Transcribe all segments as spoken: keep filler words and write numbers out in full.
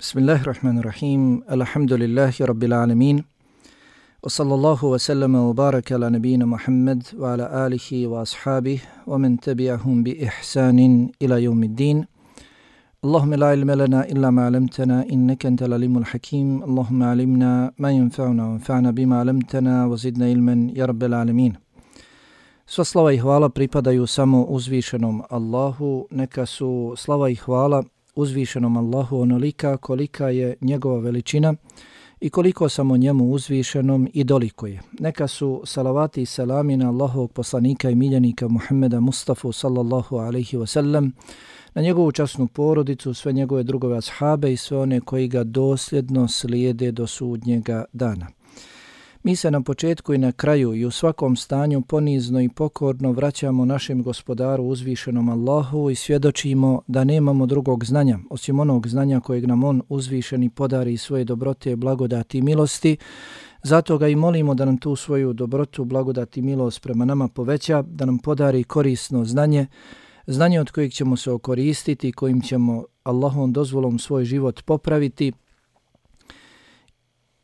Bismillahirrahmanirrahim. Alhamdulillahi rabbil alamin. Wa sallallahu wa sallama wa baraka ala nabina Muhammad wa ala alihi wa ashabihi wa man tabi'ahum bi ihsanin ila yawmiddin. Allahumma la ilma lana illa ma 'allamtana innaka antal alimul hakim. Allahumma 'allimna ma yanfa'una wanfa'na bima 'allamtana wa zidna ilman ya rabbal alamin. Sva slava i hvala pripadaju samo uzvišenom Allahu. Neka su slava i hvala uzvišenom Allahu onolika kolika je njegova veličina i koliko samo njemu uzvišenom i dolikuje. Neka su salavati i selami na Allahovog poslanika i miljenika Muhammeda Mustafa sallallahu alaihi wa sallam, na njegovu časnu porodicu, sve njegove drugove ashabe i sve one koji ga dosljedno slijede do sudnjega dana. Mi se na početku i na kraju i u svakom stanju ponizno i pokorno vraćamo našem gospodaru uzvišenom Allahu i svjedočimo da nemamo drugog znanja osim onog znanja kojeg nam on uzvišeni podari svoje dobrote, blagodati i milosti. Zato ga i molimo da nam tu svoju dobrotu, blagodati i milost prema nama poveća, da nam podari korisno znanje, znanje od kojeg ćemo se okoristiti, kojim ćemo Allahom dozvolom svoj život popraviti,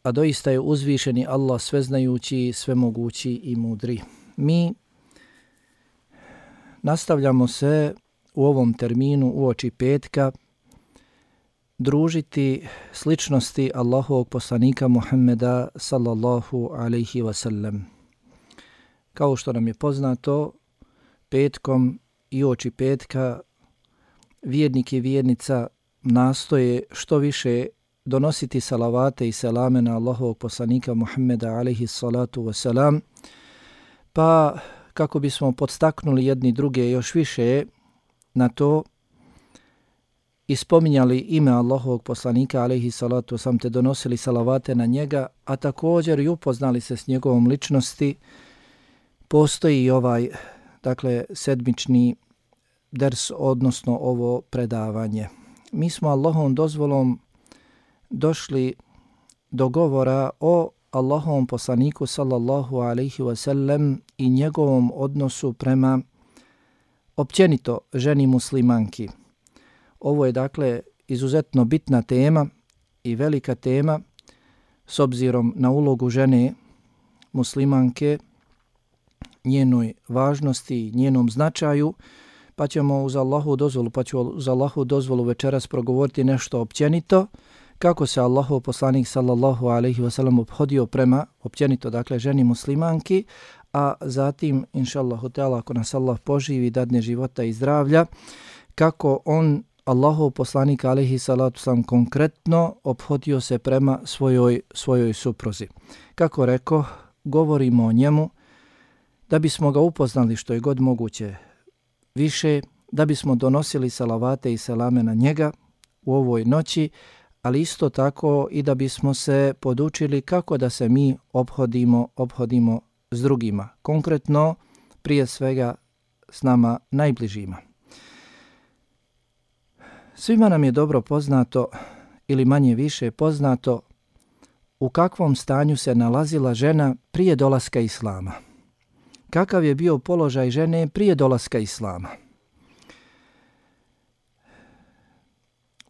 a doista je uzvišeni Allah sveznajući, svemogući i mudri. Mi nastavljamo se u ovom terminu uoči petka družiti sličnosti Allahovog poslanika Muhammeda sallallahu alaihi wa sallam. Kao što nam je poznato, petkom i uoči petka vjernik i vjernica nastoje što više donositi salavate i selame na Allahovog poslanika Muhammeda alaihi salatu wasalam, pa kako bismo podstaknuli jedni druge još više na to i spominjali ime Allahovog poslanika alaihi salatu wasalam te donosili salavate na njega, a također i upoznali se s njegovom ličnosti, postoji i ovaj, dakle, sedmični ders, odnosno ovo predavanje. Mi smo Allahovom dozvolom došli do govora o Allahovom poslaniku sallallahu alaihi wa sallam i njegovom odnosu prema općenito ženi muslimanki. Ovo je dakle izuzetno bitna tema i velika tema s obzirom na ulogu žene muslimanke, njenoj važnosti, njenom značaju, pa ćemo uz Allahu dozvolu, pa ću uz Allahu dozvolu večeras progovoriti nešto općenito, kako se Allahov poslanik sallallahu alaihi wa sallam obhodio prema općenito, dakle, ženi muslimanki, a zatim, inša Allahu teala, ako nas Allah poživi, dadne života i zdravlja, kako on, Allahov poslanik alaihi salatu sallam, konkretno obhodio se prema svojoj, svojoj supruzi. Kako reko, govorimo o njemu da bismo ga upoznali što je god moguće više, da bismo donosili salavate i selame na njega u ovoj noći, ali isto tako i da bismo se podučili kako da se mi obhodimo, obhodimo s drugima. Konkretno, prije svega s nama najbližima. Svima nam je dobro poznato ili manje više poznato u kakvom stanju se nalazila žena prije dolaska Islama. Kakav je bio položaj žene prije dolaska Islama.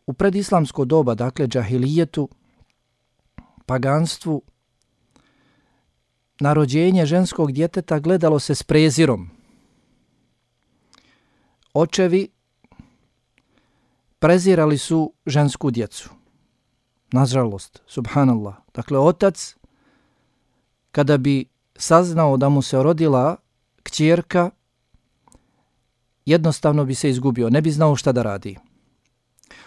U predislamsko doba, dakle džahilijetu, paganstvu, na rođenje ženskog djeteta gledalo se s prezirom. Očevi prezirali su žensku djecu. Nažalost, subhanallah. Dakle, otac, kada bi saznao da mu se rodila kćerka, jednostavno bi se izgubio, ne bi znao šta da radi.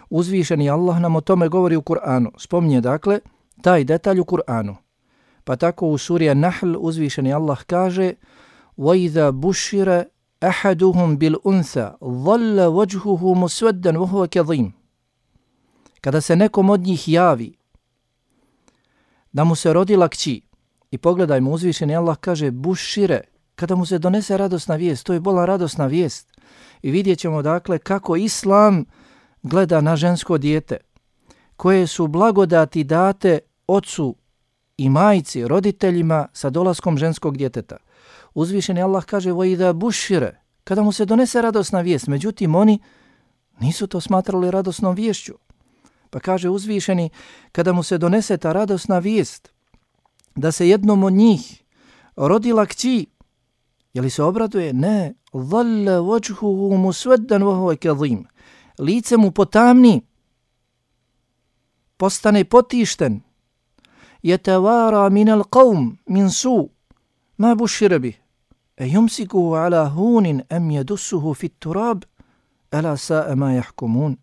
Uzvišeni Allah nam o tome govori u Kur'anu. Spominje, dakle, taj detalj u Kur'anu. Pa tako u suri An-Nahl uzvišeni Allah kaže وَإِذَا بُشِّرَ أَحَدُهُمْ بِالْأُنْثَى ظَلَّ وَجْهُهُ مُسْوَدًّا وَهُوَ كَظِيمٌ. Kada se nekom od njih javi da mu se rodila kći, i pogledajmo, uzvišeni Allah kaže bušire, kada mu se donese radosna vijest, to je bolan radosna vijest. I vidjet ćemo, dakle, kako Islam gleda na žensko dijete, koje su blagodati date ocu i majci, roditeljima sa dolaskom ženskog djeteta. Uzvišeni Allah kaže وَإِذَا بُشِّرَ, kada mu se donese radosna vijest. Međutim, oni nisu to smatrali radosnom viješću. Pa kaže uzvišeni, kada mu se donese ta radosna vijest da se jednom od njih rodila kći, je li se obraduje? Ne. Dhalla wajhuhu muswaddan wa huwa kadhim. Lice mu potamni, postane potišten. Yatawara min al-qawm min su ma bushira bih. E yumsikuhu ala hunin am yadussuhu fit turab ala sa'a ma yahkumun.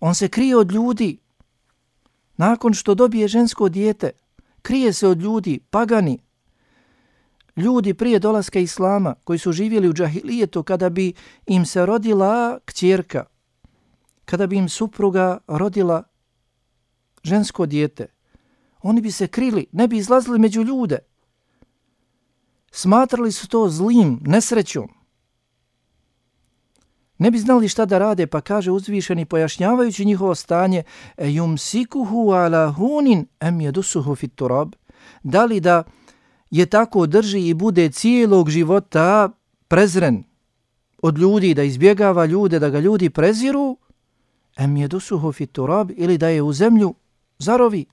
On se krije od ljudi nakon što dobije žensko dijete. Krije se od ljudi, pagani, ljudi prije dolaska Islama koji su živjeli u džahilijetu, kada bi im se rodila kćerka, kada bi im supruga rodila žensko dijete, oni bi se krili, ne bi izlazili među ljude. Smatrali su to zlim, nesrećom. Ne bi znali šta da rade, pa kaže uzvišeni pojašnjavajući njihovo stanje: e yumsikuhu ala hunin am yadussuhu fit turab. Da li da je tako drži i bude cijelog života prezren od ljudi, da izbjegava ljude, da ga ljudi preziru, am yadussuhu fit turab, ili da je u zemlju zarovi.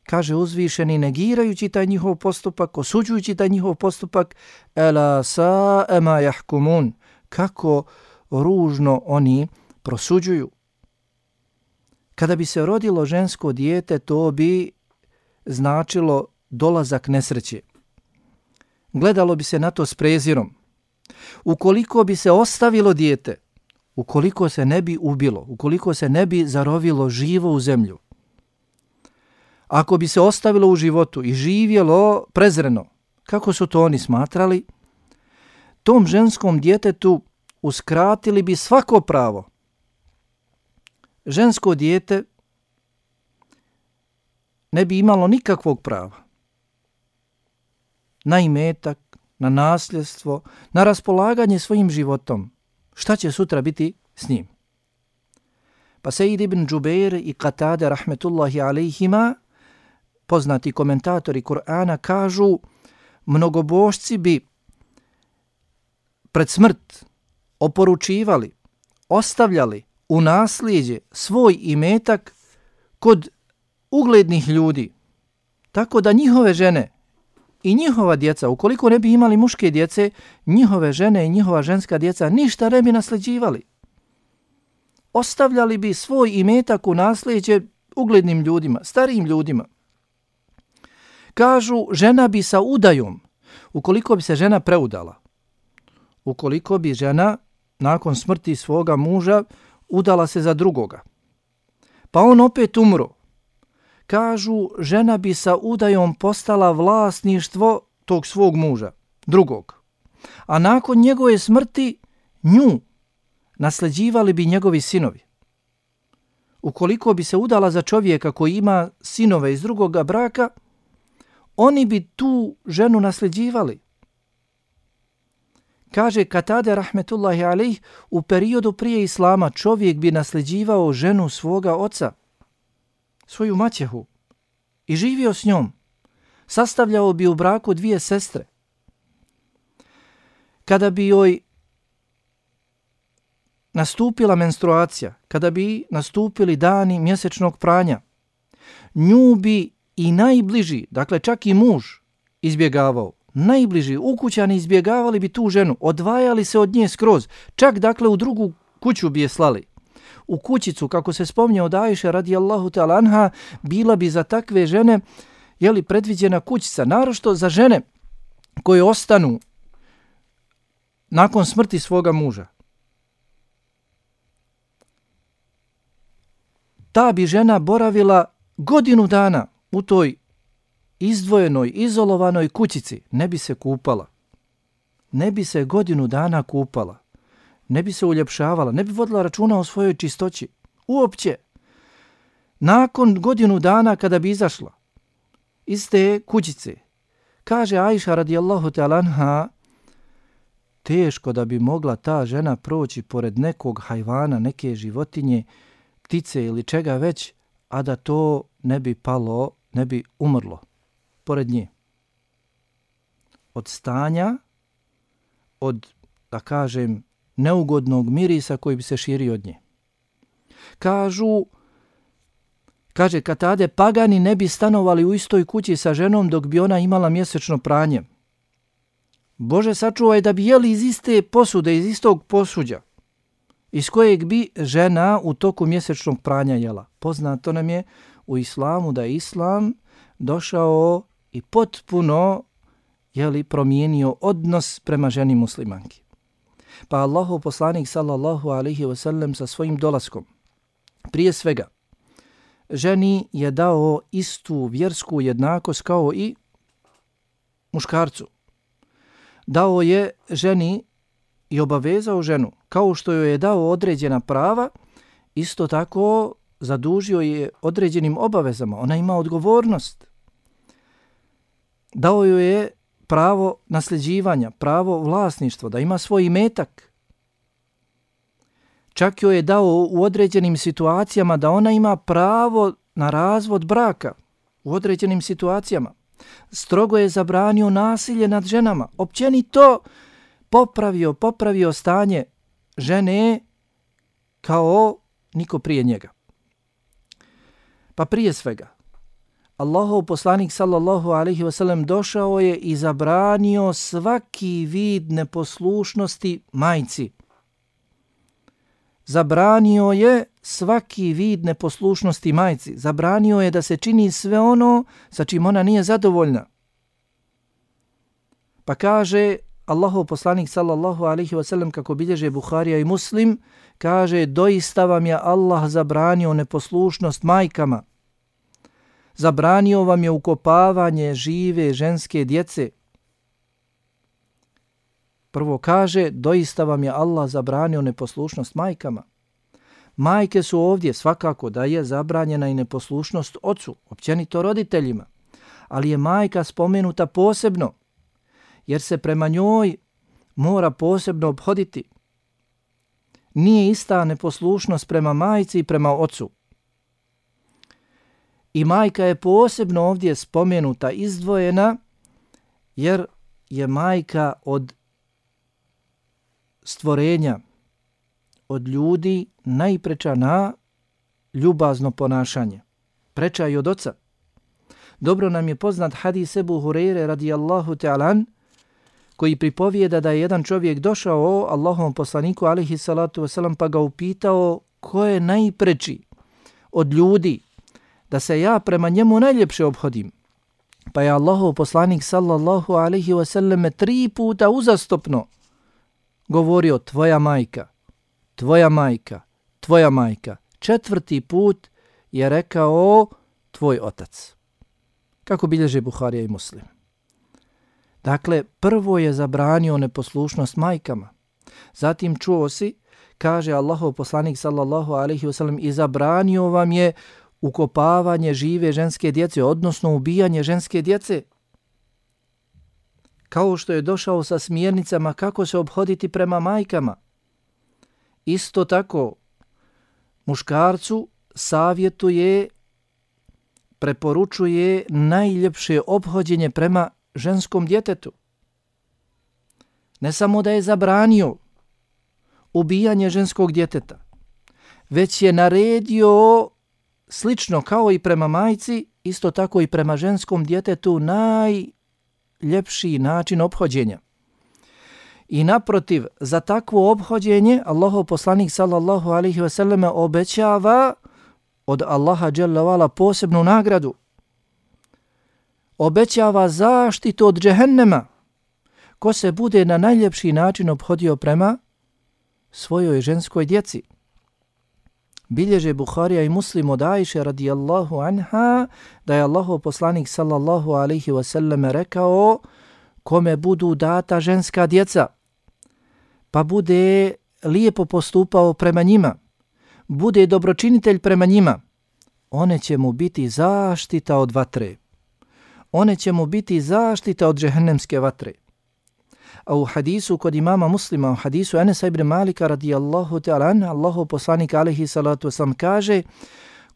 Kaže uzvišeni, negirajući taj njihov postupak, osuđujući taj njihov postupak: ela sa'a ma yahkumun. Kako ružno oni prosuđuju. Kada bi se rodilo žensko dijete, to bi značilo dolazak nesreće. Gledalo bi se na to s prezirom. Ukoliko bi se ostavilo dijete, ukoliko se ne bi ubilo, ukoliko se ne bi zarovilo živo u zemlju, ako bi se ostavilo u životu i živjelo prezreno, kako su to oni smatrali, tom ženskom djetetu uskratili bi svako pravo. Žensko dijete ne bi imalo nikakvog prava na imetak, na nasljedstvo, na raspolaganje svojim životom. Šta će sutra biti s njim? Pa Sejid ibn Džubeir i Katade rahmetullahi alejhima, poznati komentatori Kur'ana, kažu: mnogobošci bi pred smrt oporučivali, ostavljali u nasljeđe svoj imetak kod uglednih ljudi, tako da njihove žene i njihova djeca, ukoliko ne bi imali muške djece, njihove žene i njihova ženska djeca ništa ne bi nasljeđivali. Ostavljali bi svoj imetak u nasljeđe uglednim ljudima, starijim ljudima. Kažu, žena bi sa udajom, ukoliko bi se žena preudala, ukoliko bi žena nakon smrti svoga muža udala se za drugoga, pa on opet umro, kažu, žena bi sa udajom postala vlasništvo tog svog muža, drugog, a nakon njegove smrti nju nasljeđivali bi njegovi sinovi. Ukoliko bi se udala za čovjeka koji ima sinove iz drugoga braka, oni bi tu ženu nasljeđivali. Kaže Katade rahmetullahi alejh, u periodu prije Islama čovjek bi nasljeđivao ženu svoga oca, svoju maćehu, i živio s njom. Sastavljao bi u braku dvije sestre. Kada bi joj nastupila menstruacija, kada bi nastupili dani mjesečnog pranja, nju bi i najbliži, dakle čak i muž, izbjegavao. Najbliži ukućani izbjegavali bi tu ženu, odvajali se od nje skroz, čak dakle u drugu kuću bi je slali. U kućicu, kako se spominje od Ajše radijallahu ta'ala anha, bila bi za takve žene, jeli, predviđena kućica, naročito za žene koje ostanu nakon smrti svoga muža. Ta bi žena boravila godinu dana u toj izdvojenoj, izolovanoj kućici, ne bi se kupala. Ne bi se godinu dana kupala. Ne bi se uljepšavala, ne bi vodila računa o svojoj čistoći. Uopće. Nakon godinu dana kada bi izašla iz te kućice, kaže Ajša radijallahu ta'ala anha, teško da bi mogla ta žena proći pored nekog hajvana, neke životinje, ptice ili čega već, a da to ne bi palo, ne bi umrlo pored nje. Od stanja, od, da kažem, neugodnog mirisa koji bi se širio od nje. Kažu, kaže Katade, pagani ne bi stanovali u istoj kući sa ženom dok bi ona imala mjesečno pranje. Bože sačuvaj da bi jeli iz iste posude, iz istog posuđa, iz kojeg bi žena u toku mjesečnog pranja jela. Poznato nam je u islamu da je islam došao i potpuno jeli, promijenio odnos prema ženi muslimanki. Pa Allahov poslanik sallallahu alaihi wasallam sa svojim dolaskom, prije svega, ženi je dao istu vjersku jednakost kao i muškarcu. Dao je ženi i obavezao ženu, kao što joj je dao određena prava, isto tako zadužio je određenim obavezama. Ona ima odgovornost. Dao joj je pravo nasljeđivanja, pravo vlasništva, da ima svoj imetak. Čak joj je dao u određenim situacijama da ona ima pravo na razvod braka u određenim situacijama. Strogo je zabranio nasilje nad ženama. Općenito popravio, popravio stanje žene kao niko prije njega. Pa prije svega, Allahov poslanik sallallahu alaihi wasallam došao je i zabranio svaki vid neposlušnosti majci. Zabranio je svaki vid neposlušnosti majci. Zabranio je da se čini sve ono sa čim ona nije zadovoljna. Pa kaže Allahov poslanik sallallahu alaihi wasallam, kako bilježe Buharija i Muslim, kaže, doista vam je Allah zabranio neposlušnost majkama. Zabranio vam je ukopavanje žive ženske djece. Prvo kaže, doista vam je Allah zabranio neposlušnost majkama. Majke su ovdje svakako da je zabranjena i neposlušnost ocu, općenito roditeljima. Ali je majka spomenuta posebno, jer se prema njoj mora posebno obhoditi. Nije ista neposlušnost prema majci i prema ocu. I majka je posebno ovdje spomenuta, izdvojena, jer je majka od stvorenja, od ljudi najpreča na ljubazno ponašanje. Preča i od oca. Dobro nam je poznat hadis Ebu Hureyre radijallahu ta'alan, koji pripovijeda da je jedan čovjek došao Allahovom poslaniku alaihi salatu wasalam pa ga upitao ko je najpreči od ljudi da se ja prema njemu najljepše obhodim. Pa je Allahov poslanik sallallahu alaihi wasallam tri puta uzastopno govorio tvoja majka, tvoja majka, tvoja majka. Četvrti put je rekao tvoj otac. Kako bilježe Buharija i Muslim. Dakle, prvo je zabranio neposlušnost majkama. Zatim čuo si, kaže Allahov poslanik sallallahu alaihi wasallam, i zabranio vam je ukopavanje žive ženske djece, odnosno ubijanje ženske djece. Kao što je došao sa smjernicama kako se obhoditi prema majkama. Isto tako, muškarcu savjetuje, preporučuje najljepše ophođenje prema ženskom djetetu. Ne samo da je zabranio ubijanje ženskog djeteta, već je naredio slično kao i prema majci, isto tako i prema ženskom djetetu najljepši način ophođenja. I naprotiv, za takvo ophođenje Allahov poslanik sallallahu alaihi wasallam obećava od Allaha dželle vala posebnu nagradu. Obećava zaštitu od džehennema ko se bude na najljepši način ophodio prema svojoj ženskoj djeci. Bilježe Buharija i Muslim od Ajše radijallahu anha da je Allahov poslanik sallallahu alaihi wasallam rekao kome budu data ženska djeca pa bude lijepo postupao prema njima, bude dobročinitelj prema njima, one će mu biti zaštita od vatre. One će mu biti zaštita od džehennemske vatre. A u hadisu kod imama Muslima, u hadisu Enesa ibn Malika radijallahu ta'ala, Allahov poslanik alaihi salatu wasalam kaže,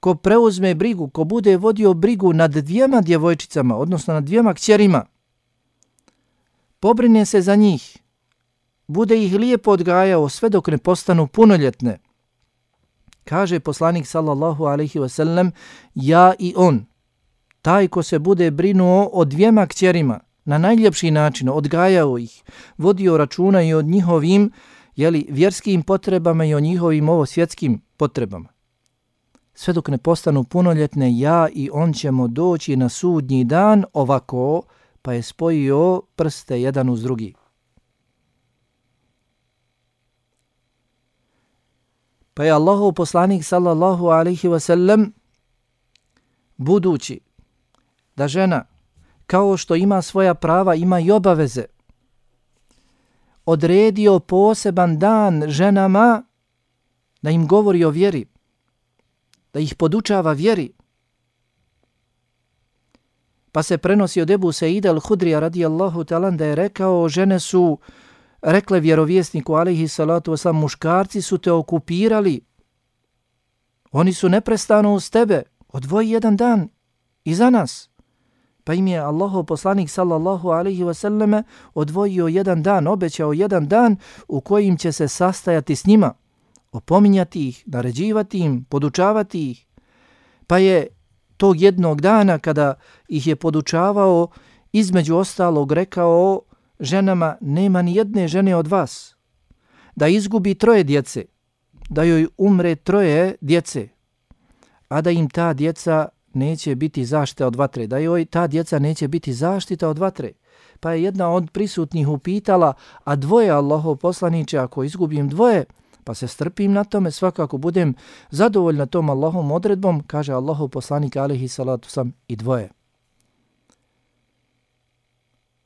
ko preuzme brigu, ko bude vodio brigu nad dvijema djevojčicama, odnosno nad dvijema kćerima, pobrine se za njih, bude ih lijepo odgajao sve dok ne postanu punoljetne, Kaže poslanik sallallahu alejhi ve sellem, ja i on, taj ko se bude brinuo o dvijema kćerima, na najljepši način, odgajao ih, vodio računa i o njihovim jeli, vjerskim potrebama i o njihovim ovo svjetskim potrebama. Sve dok ne postanu punoljetne, ja i on ćemo doći na sudnji dan ovako, pa je spojio prste jedan uz drugi. Pa je Allahov poslanik sallallahu alejhi ve sellem, budući da žena kao što ima svoja prava, ima i obaveze, odredio poseban dan ženama da im govori o vjeri, da ih podučava vjeri. Pa se prenosi od Ebu Seida al-Hudrija radijallahu ta'ala da je rekao, žene su rekle vjerovjesniku alejhi salatu wasalam, muškarci su te okupirali, oni su neprestano uz tebe, odvoji jedan dan i za nas. Pa im je Allahov poslanik sallallahu alejhi ve selleme odvojio jedan dan, obećao jedan dan u kojim će se sastajati s njima, opominjati ih, naređivati im, podučavati ih. Pa je tog jednog dana kada ih je podučavao, između ostalog rekao ženama, nema ni jedne žene od vas da izgubi troje djece, da joj umre troje djece, a da im ta djeca neće biti zaštita od vatre, da joj ta djeca neće biti zaštita od vatre. Pa je jedna od prisutnih upitala, a dvoje, Allahov poslaniče, ako izgubim dvoje, pa se strpim na tome, svakako budem zadovoljna tom Allahovom odredbom, kaže Allahov poslanik alejhi salatu sam, i dvoje.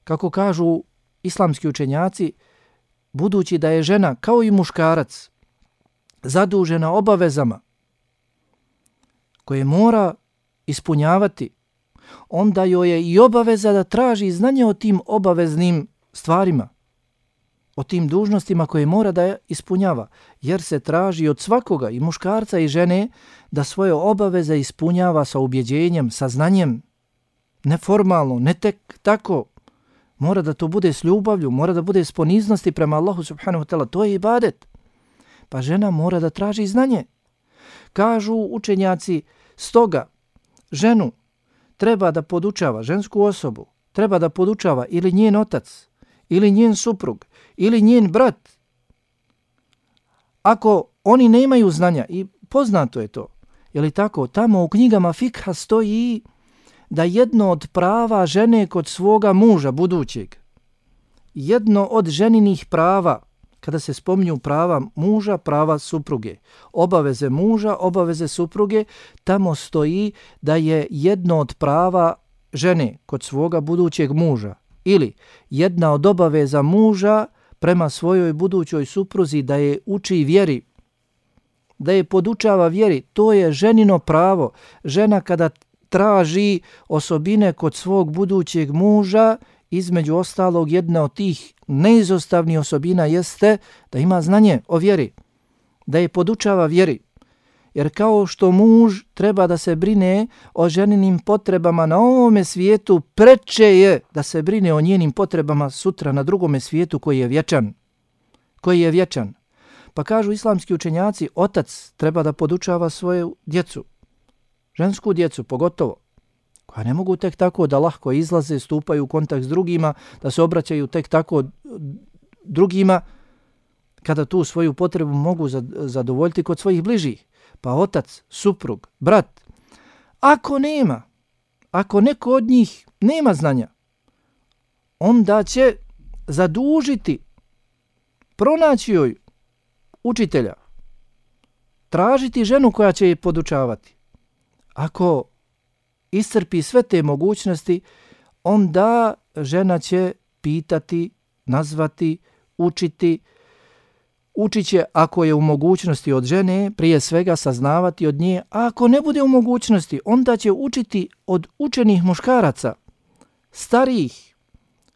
Kako kažu islamski učenjaci, budući da je žena kao i muškarac zadužena obavezama koje mora ispunjavati, onda joj je i obaveza da traži znanje o tim obaveznim stvarima, o tim dužnostima koje mora da ispunjava, jer se traži od svakoga, i muškarca i žene, da svoje obaveze ispunjava sa ubjeđenjem, sa znanjem, neformalno, ne tek tako. Mora da to bude s ljubavlju, mora da bude s poniznosti prema Allahu subhanahu wa ta'ala, to je ibadet. Pa žena mora da traži znanje. Kažu učenjaci, stoga ženu treba da podučava, žensku osobu, treba da podučava ili njen otac, ili njen suprug, ili njen brat. Ako oni nemaju znanja, i poznato je to, je li tako, tamo u knjigama fikha stoji da jedno od prava žene kod svoga muža budućeg, jedno od ženinih prava, kada se spominju prava muža, prava supruge, obaveze muža, obaveze supruge, tamo stoji da je jedno od prava žene kod svoga budućeg muža ili jedna od obaveza muža prema svojoj budućoj supruzi da je uči vjeri, da je podučava vjeri. To je ženino pravo. Žena kada traži osobine kod svog budućeg muža, između ostalog jedna od tih neizostavnih osobina jeste da ima znanje o vjeri, da je podučava vjeri. Jer kao što muž treba da se brine o ženinim potrebama na ovome svijetu, preče je da se brine o njenim potrebama sutra na drugome svijetu koji je vječan. Koji je vječan. Pa kažu islamski učenjaci, otac treba da podučava svoju djecu, žensku djecu pogotovo, koja ne mogu tek tako da lahko izlaze, stupaju u kontakt s drugima, da se obraćaju tek tako drugima, kada tu svoju potrebu mogu zadovoljiti kod svojih bližih. Pa otac, suprug, brat, ako nema, ako neko od njih nema znanja, onda će zadužiti, pronaći joj učitelja, tražiti ženu koja će je podučavati. Ako iscrpi sve te mogućnosti, onda žena će pitati, nazvati, učiti. Učit će ako je u mogućnosti od žene, prije svega saznavati od nje, a ako ne bude u mogućnosti, onda će učiti od učenih muškaraca, starijih,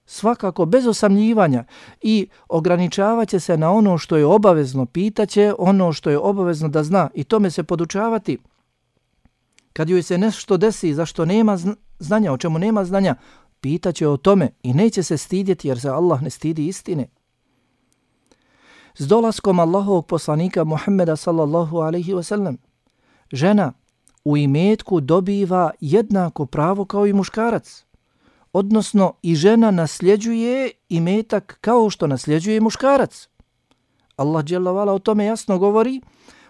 svakako bez osamljivanja, i ograničavat će se na ono što je obavezno, pitaće ono što je obavezno da zna i tome se podučavati. Kad joj se nešto desi za što nema znanja, o čemu nema znanja, pitaće o tome i neće se stidjeti jer se Allah ne stidi istine. S dolaskom Allahovog poslanika Muhammeda sallallahu alaihi wasallam, žena u imetku dobiva jednako pravo kao i muškarac. Odnosno i žena nasljeđuje imetak kao što nasljeđuje muškarac. Allah dželle vala o tome jasno govori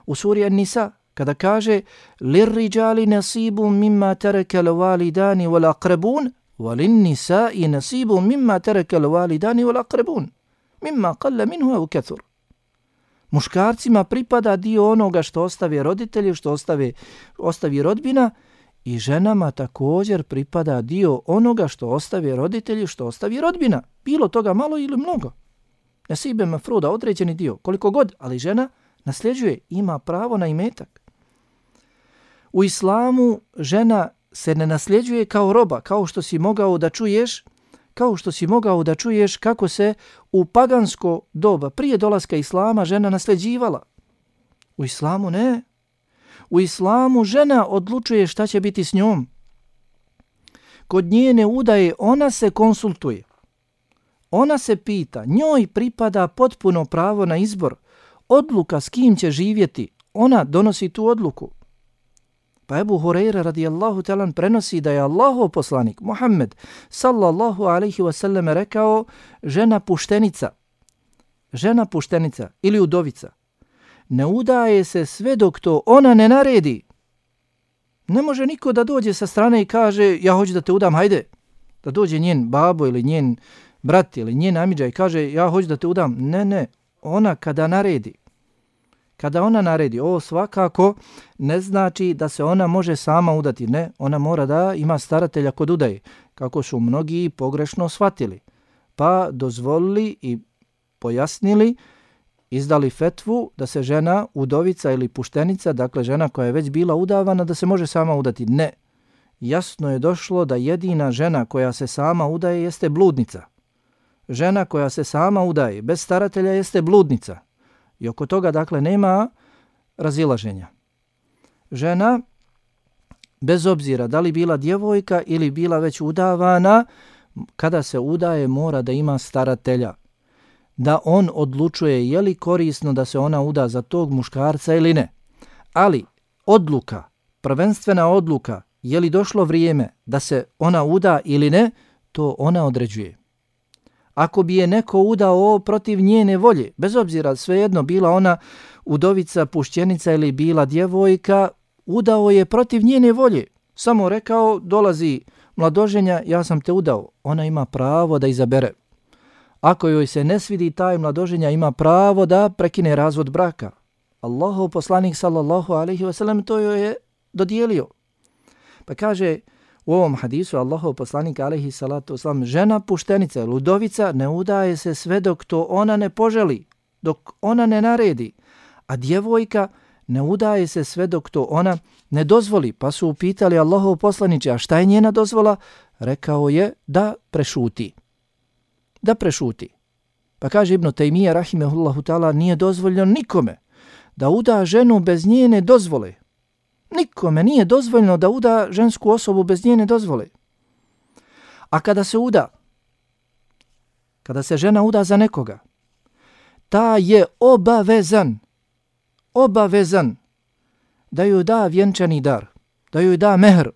u suri An-Nisa kada kaže lirriđali nasibu mimma terekel validani wal aqrabun walin nisai nasibu mimma terekel validani wal aqrabun mimma qalla minhu aw kathur. Muškarcima pripada dio onoga što ostave roditelji, što ostave, ostavi rodbina, i ženama također pripada dio onoga što ostave roditelji, što ostavi rodbina. Bilo toga malo ili mnogo. Nasibe mafruda, određeni dio, koliko god, ali žena nasljeđuje, ima pravo na imetak. U islamu žena se ne nasljeđuje kao roba, kao što si mogao da čuješ, kao što si mogao da čuješ kako se u pagansko doba prije dolaska islama žena nasljeđivala. U islamu ne. U islamu žena odlučuje šta će biti s njom. Kod njene udaje ona se konsultuje. Ona se pita, njoj pripada potpuno pravo na izbor. Odluka s kim će živjeti, ona donosi tu odluku. Pa Ebu Hurajra radijallahu talan prenosi da je Allahov poslanik Muhammed sallallahu alaihi wasallam rekao žena puštenica, žena puštenica ili udovica ne udaje se sve dok to ona ne naredi. Ne može niko da dođe sa strane i kaže ja hoću da te udam, hajde. Da dođe njen babo ili njen brat ili njen amidža i kaže ja hoću da te udam. Ne, ne, ona kada naredi. Kada ona naredi, ovo svakako ne znači da se ona može sama udati. Ne, ona mora da ima staratelja kod udaje, kako su mnogi pogrešno shvatili. Pa dozvolili i pojasnili, izdali fetvu da se žena udovica ili puštenica, dakle žena koja je već bila udavana, da se može sama udati. Ne, jasno je došlo da jedina žena koja se sama udaje jeste bludnica. Žena koja se sama udaje bez staratelja jeste bludnica. I oko toga, dakle, nema razilaženja. Žena, bez obzira da li bila djevojka ili bila već udavana, kada se udaje mora da ima staratelja. Da on odlučuje je li korisno da se ona uda za tog muškarca ili ne. Ali odluka, prvenstvena odluka, je li došlo vrijeme da se ona uda ili ne, to ona određuje. Ako bi je neko udao protiv njene volje, bez obzira svejedno bila ona udovica, pušćenica ili bila djevojka, udao je protiv njene volje. Samo rekao, dolazi mladoženja, ja sam te udao. Ona ima pravo da izabere. Ako joj se ne svidi taj mladoženja, ima pravo da prekine razvod braka. Allahov poslanik sallallahu alaihi wasallam to joj je dodijelio. Pa kaže u ovom hadisu Allahov poslanik alejhi salatu vesselam, žena puštenica, ludovica ne udaje se sve dok to ona ne poželi, dok ona ne naredi, a djevojka ne udaje se sve dok to ona ne dozvoli. Pa su upitali Allahov poslaniče, a šta je njena dozvola? Rekao je da prešuti. Da prešuti. Pa kaže Ibn Taymije rahimehullahu ta'ala, nije dozvoljeno nikome da uda ženu bez njene dozvole. Nikome nije dozvoljeno da uda žensku osobu bez njene dozvole. A kada se uda, kada se žena uda za nekoga, ta je obavezan, obavezan da joj da vjenčani dar, da joj da mehr.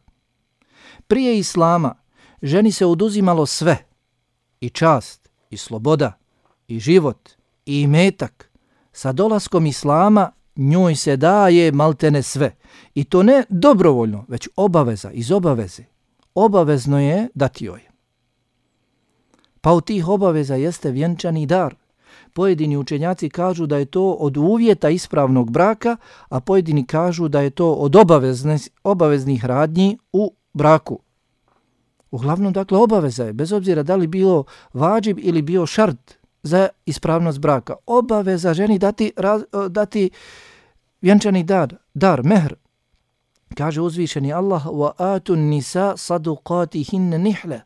Prije islama ženi se oduzimalo sve, i čast, i sloboda, i život, i imetak. Sa dolaskom islama njoj se daje maltene sve. I to ne dobrovoljno, već obaveza, iz obaveze. Obavezno je dati joj. Pa u tih obaveza jeste vjenčani dar. Pojedini učenjaci kažu da je to od uvjeta ispravnog braka, a pojedini kažu da je to od obavezne, obaveznih radnji u braku. Uglavnom, dakle, obaveza je, bez obzira da li bio vađib ili bio šart za ispravnost braka. Obaveza ženi dati, raz, dati vjenčani dar, dar, mehr. Kaže uzvišeni Allah, وَآتُ النِّسَا صَدُقَاتِهِنَّ نِحْلَ.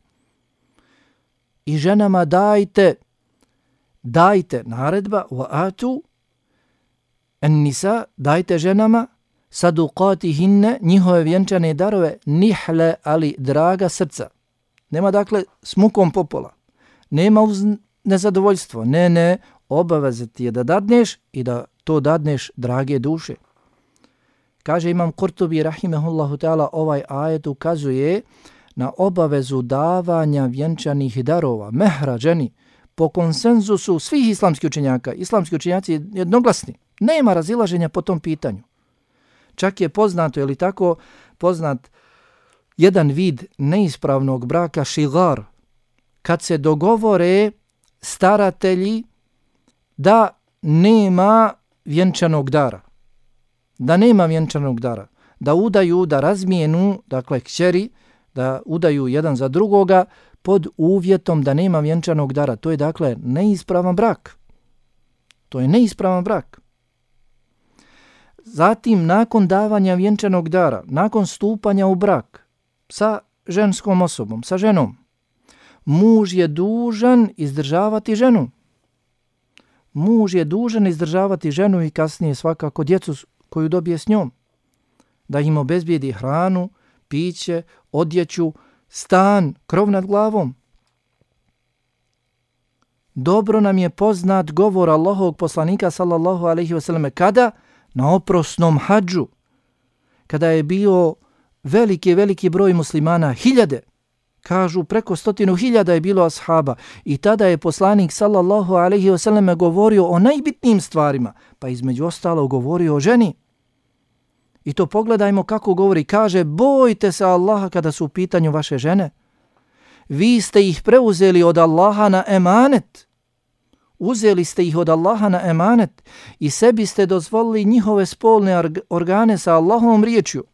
I ženama dajte, dajte, naredba, وَآتُ النِّسَا, dajte ženama, صَدُقَاتِهِنَّ, njihove vjenčane darove, nihle, ali draga srca. Nema dakle s mukom popola, nema uz nezadovoljstvo, ne, ne, obaveza ti je da dadneš i da to dadneš drage duše. Kaže Imam Kurtubi rahimehullahu ta'ala, ovaj ajet ukazuje na obavezu davanja vjenčanih darova, mehra ženi, po konsenzusu svih islamskih učenjaka. Islamski učenjaci jednoglasni. Nema razilaženja po tom pitanju. Čak je poznato, je li tako, poznat jedan vid neispravnog braka, šigar, kad se dogovore staratelji da nema vjenčanog dara. Da nema vjenčanog dara. Da udaju, da razmijenu, dakle, kćeri, da udaju jedan za drugoga pod uvjetom da nema vjenčanog dara. To je, dakle, neispravan brak. To je neispravan brak. Zatim, nakon davanja vjenčanog dara, nakon stupanja u brak sa ženskom osobom, sa ženom, muž je dužan izdržavati ženu. Muž je dužan izdržavati ženu i kasnije svakako djecu koju dobije s njom. Da im obezbijedi hranu, piće, odjeću, stan, krov nad glavom. Dobro nam je poznat govor Allahovog poslanika sallallahu alejhi ve selleme kada na oprosnom hadžu, kada je bio veliki, veliki broj muslimana, hiljade, kažu preko stotinu hiljada je bilo ashaba, i tada je poslanik sallallahu alejhi ve selleme govorio o najbitnijim stvarima, pa između ostalo govorio o ženi. I to pogledajmo kako govori, kaže, bojte se Allaha kada su u pitanju vaše žene. Vi ste ih preuzeli od Allaha na emanet. Uzeli ste ih od Allaha na emanet i sebi ste dozvolili njihove spolne organe sa Allahovom riječju.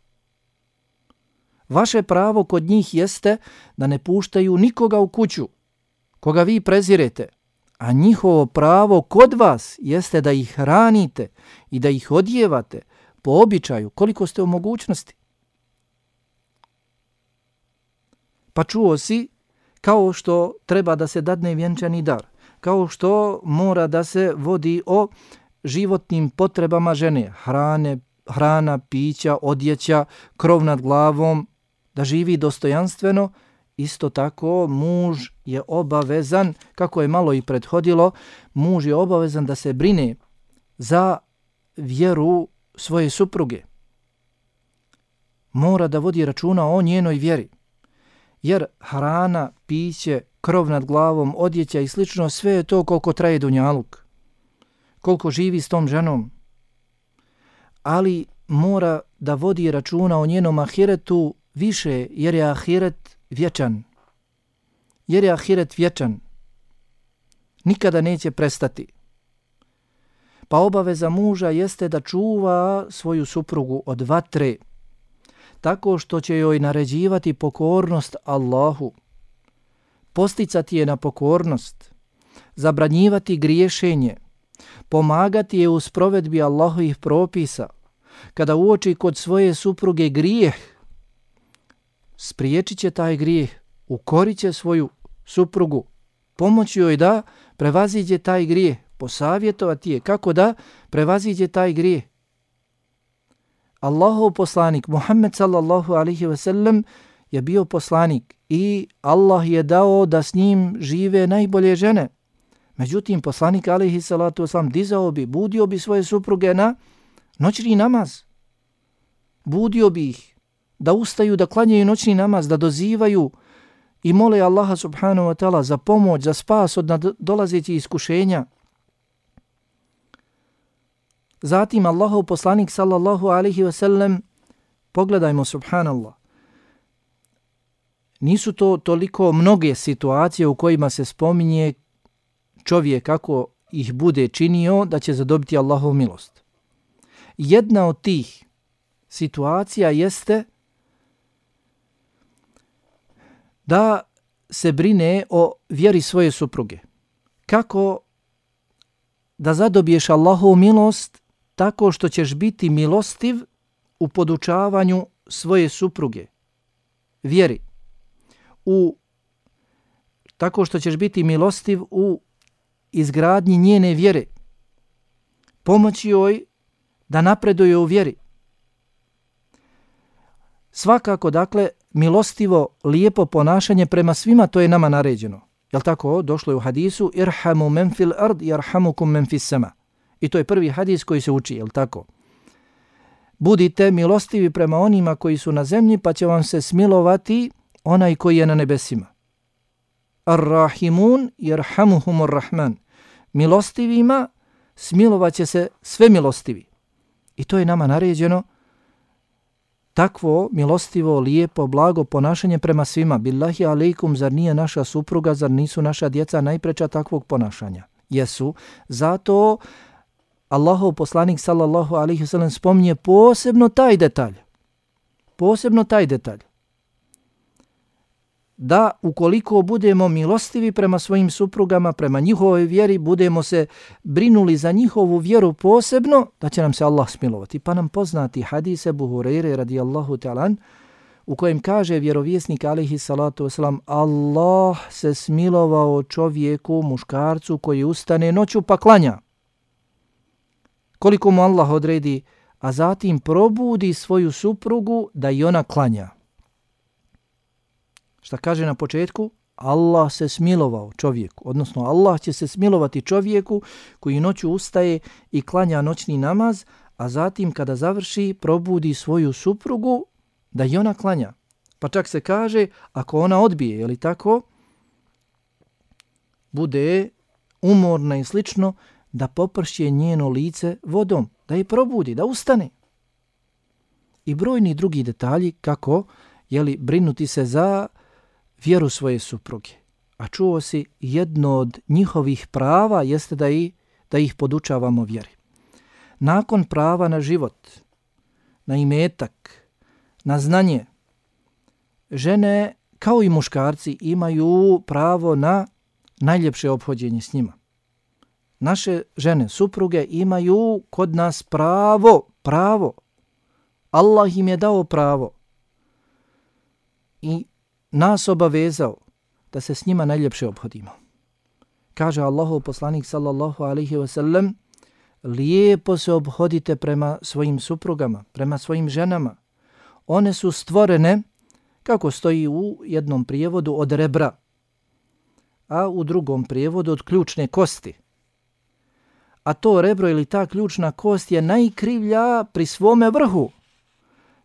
Vaše pravo kod njih jeste da ne puštaju nikoga u kuću, koga vi prezirete, a njihovo pravo kod vas jeste da ih hranite i da ih odjevate po običaju koliko ste u mogućnosti. Pa čuo si kao što treba da se dadne vjenčani dar, kao što mora da se vodi o životnim potrebama žene, hrane, hrana, pića, odjeća, krov nad glavom, da živi dostojanstveno, isto tako muž je obavezan, kako je malo i prethodilo, muž je obavezan da se brine za vjeru svoje supruge. Mora da vodi računa o njenoj vjeri. Jer hrana, piće, krov nad glavom, odjeća i slično, sve je to koliko traje dunjaluk. Koliko živi s tom ženom. Ali mora da vodi računa o njenom ahiretu više, jer je ahiret vječan. Jer je ahiret vječan. Nikada neće prestati. Pa obaveza muža jeste da čuva svoju suprugu od vatre, tako što će joj naređivati pokornost Allahu, posticati je na pokornost, zabranjivati griješenje, pomagati je u sprovedbi Allahovih propisa. Kada uoči kod svoje supruge grijeh, spriječit će taj grijeh, ukorit će svoju suprugu, pomoći joj da prevaziđe taj grijeh, posavjetovati je kako da prevaziđe taj grijeh. Allahov poslanik Muhammed sallallahu alejhi ve sellem je bio poslanik i Allah je dao da s njim žive najbolje žene. Međutim, poslanik alejhi salatu vesselam dizao bi, budio bi svoje supruge na noćni namaz. Budio bi ih da ustaju, da klanjaju noćni namaz, da dozivaju i mole Allaha subhanahu wa ta'ala za pomoć, za spas od dolazećih iskušenja. Zatim Allahov poslanik sallallahu alejhi ve sellem, pogledajmo subhanallah, nisu to toliko mnoge situacije u kojima se spominje čovjek kako ih bude činio da će zadobiti Allahovu milost. Jedna od tih situacija jeste da se brine o vjeri svoje supruge. Kako da zadobiješ Allahovu milost? Tako što ćeš biti milostiv u podučavanju svoje supruge, vjeri. U, tako što ćeš biti milostiv u izgradnji njene vjere. Pomoći joj da napreduje u vjeri. Svakako, dakle, milostivo, lijepo ponašanje prema svima, to je nama naređeno. Jel tako? Došlo je u hadisu irhamu men fil ard yarhamukum men fis sama. I to je prvi hadis koji se uči, jel tako? Budite milostivi prema onima koji su na zemlji, pa će vam se smilovati onaj koji je na nebesima. Ar-rahimun yarhamuhumur rahman. Milostivima smilovat će se sve milostivi. I to je nama naređeno, takvo milostivo, lijepo, blago ponašanje prema svima. Billahi alejkum, zar nije naša supruga, zar nisu naša djeca najpreča takvog ponašanja? Jesu. Zato Allahov poslanik sallallahu alejhi ve sellem spominje posebno taj detalj. Posebno taj detalj. Da ukoliko budemo milostivi prema svojim suprugama, prema njihovoj vjeri, budemo se brinuli za njihovu vjeru posebno, da će nam se Allah smilovati. Pa nam poznati hadis Ebu Hurajre radijallahu ta'ala u kojem kaže vjerovjesnik alejhi salatu vesselam, Allah se smilovao čovjeku, muškarcu koji ustane noću pa klanja. Koliko mu Allah odredi, a zatim probudi svoju suprugu da i ona klanja. Šta kaže na početku? Allah se smilovao čovjeku, odnosno Allah će se smilovati čovjeku koji noću ustaje i klanja noćni namaz, a zatim kada završi probudi svoju suprugu da i ona klanja. Pa čak se kaže, ako ona odbije, je li tako, bude umorna i slično, da popršje njeno lice vodom, da je probudi, da ustane. I brojni drugi detalji kako, je li, brinuti se za vjeru svoje supruge. A čuo si, jedno od njihovih prava jeste da, i, da ih podučavamo vjeri. Nakon prava na život, na imetak, na znanje, žene kao i muškarci imaju pravo na najljepše ophođenje s njima. Naše žene, supruge imaju kod nas pravo, pravo. Allah im je dao pravo i nas obavezao da se s njima najljepše ophodimo. Kaže Allahov poslanik sallallahu alejhi ve sellem, lijepo se ophodite prema svojim suprugama, prema svojim ženama. One su stvorene, kako stoji u jednom prijevodu, od rebra, a u drugom prijevodu od ključne kosti. A to rebro ili ta ključna kost je najkrivlja pri svome vrhu.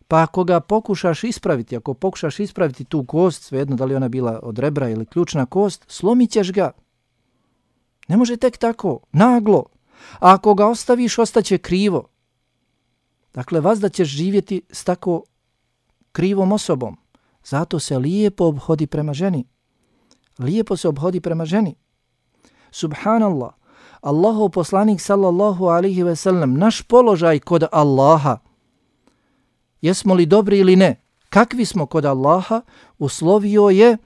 Pa ako ga pokušaš ispraviti, ako pokušaš ispraviti tu kost, svejedno da li ona bila od rebra ili ključna kost, slomit ćeš ga. Ne može tek tako, naglo. A ako ga ostaviš, ostaće krivo. Dakle, vazda ćeš živjeti s tako krivom osobom. Zato se lijepo obhodi prema ženi. Lijepo se obhodi prema ženi. Subhanallah. Allahov poslanik sallallahu alejhi ve sellem, naš položaj kod Allaha, jesmo li dobri ili ne, kakvi smo kod Allaha, uslovio je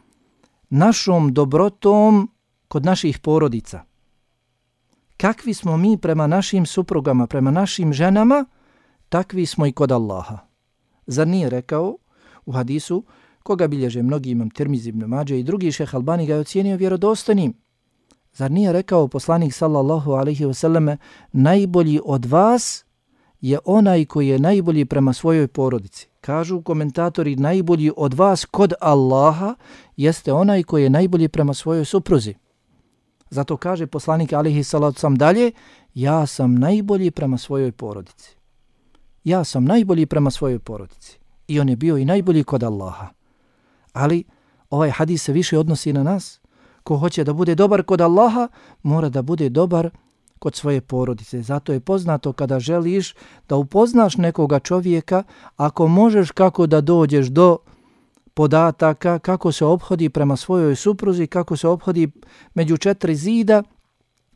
našom dobrotom kod naših porodica. Kakvi smo mi prema našim suprugama, prema našim ženama, takvi smo i kod Allaha. Zar nije rekao u hadisu, koga bilježe mnogi Imam Tirmizi, Ibn Mađe i drugi, Šejh Albani ga je ocijenio vjerodostojnim. Zar nije rekao poslanik sallallahu alejhi ve selleme, najbolji od vas je onaj koji je najbolji prema svojoj porodici. Kažu komentatori, najbolji od vas kod Allaha jeste onaj koji je najbolji prema svojoj supruzi. Zato kaže poslanik alejhi salatu sam dalje, ja sam najbolji prema svojoj porodici. Ja sam najbolji prema svojoj porodici. I on je bio i najbolji kod Allaha. Ali ovaj hadis se više odnosi na nas. Ko hoće da bude dobar kod Allaha, mora da bude dobar kod svoje porodice. Zato je poznato kada želiš da upoznaš nekoga čovjeka, ako možeš kako da dođeš do podataka, kako se ophodi prema svojoj supruzi, kako se ophodi među četiri zida,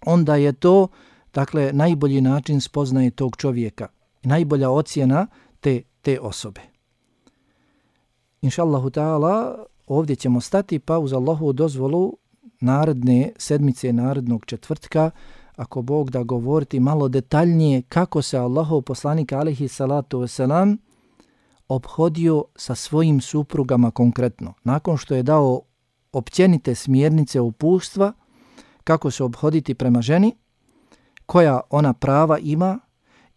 onda je to, dakle, najbolji način spoznaje tog čovjeka. Najbolja ocjena te, te osobe. Inša Allahu ta'ala, ovdje ćemo stati, pa uz Allahovu dozvolu naredne sedmice, narednog četvrtka, ako Bog da govoriti malo detaljnije kako se Allahov poslanik alejhi salatu vesselam ophodio sa svojim suprugama konkretno. Nakon što je dao općenite smjernice uputstva kako se ophoditi prema ženi, koja ona prava ima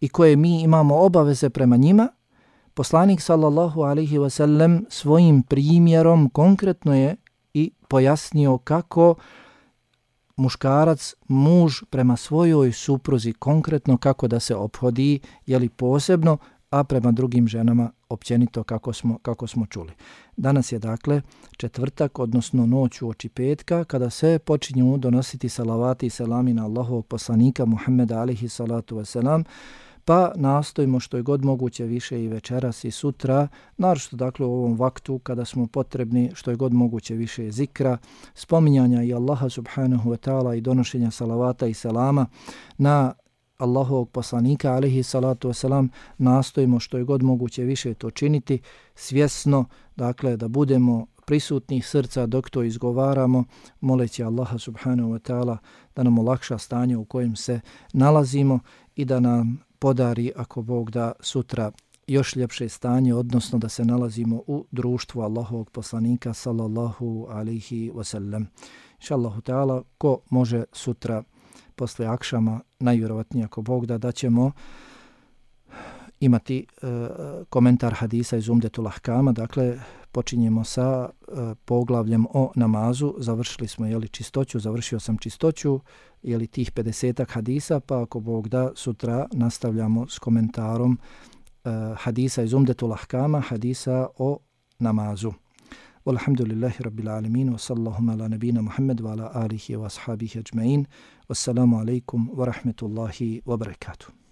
i koje mi imamo obaveze prema njima, poslanik sallallahu alejhi ve sellem svojim primjerom konkretno je i pojasnio kako muškarac, muž prema svojoj supruzi konkretno kako da se ophodi, jeli posebno, a prema drugim ženama općenito kako smo, kako smo čuli. Danas je dakle četvrtak, odnosno noć uoči petka, kada se počinju donositi salavati i selami na Allahovog poslanika Muhammeda alihi salatu wasalam, pa nastojimo što je god moguće više i večeras i sutra, naročito dakle u ovom vaktu kada smo potrebni što je god moguće više zikra, spominjanja i Allaha subhanahu wa ta'ala i donošenja salavata i selama na Allahovog poslanika alihi salatu wasalam, nastojimo što je god moguće više to činiti svjesno, dakle da budemo prisutnih srca dok to izgovaramo, moleći Allaha subhanahu wa ta'ala da nam olakša stanje u kojem se nalazimo i da nam podari, ako Bog da, sutra još ljepše stanje, odnosno da se nalazimo u društvu Allahovog poslanika sallallahu alaihi wasallam. Inša Allahu ta'ala, ko može sutra posle akšama, najvjerovatnije ako Bog da, da ćemo imati e, komentar hadisa iz Umdetul Ahkama, dakle počinjemo sa e, poglavljem o namazu, završili smo jeli, čistoću, završio sam čistoću, jeli, tih pedesetak hadisa, pa ako Bog da, sutra nastavljamo s komentarom e, hadisa iz Umdetul Ahkama, hadisa o namazu. Walhamdulillahi rabbil alamin, wa sallallahu ala nabina Muhammad wa ala alihi wa ashabihi ajma'in. Wassalamu alaikum wa rahmetullahi wa barakatuh.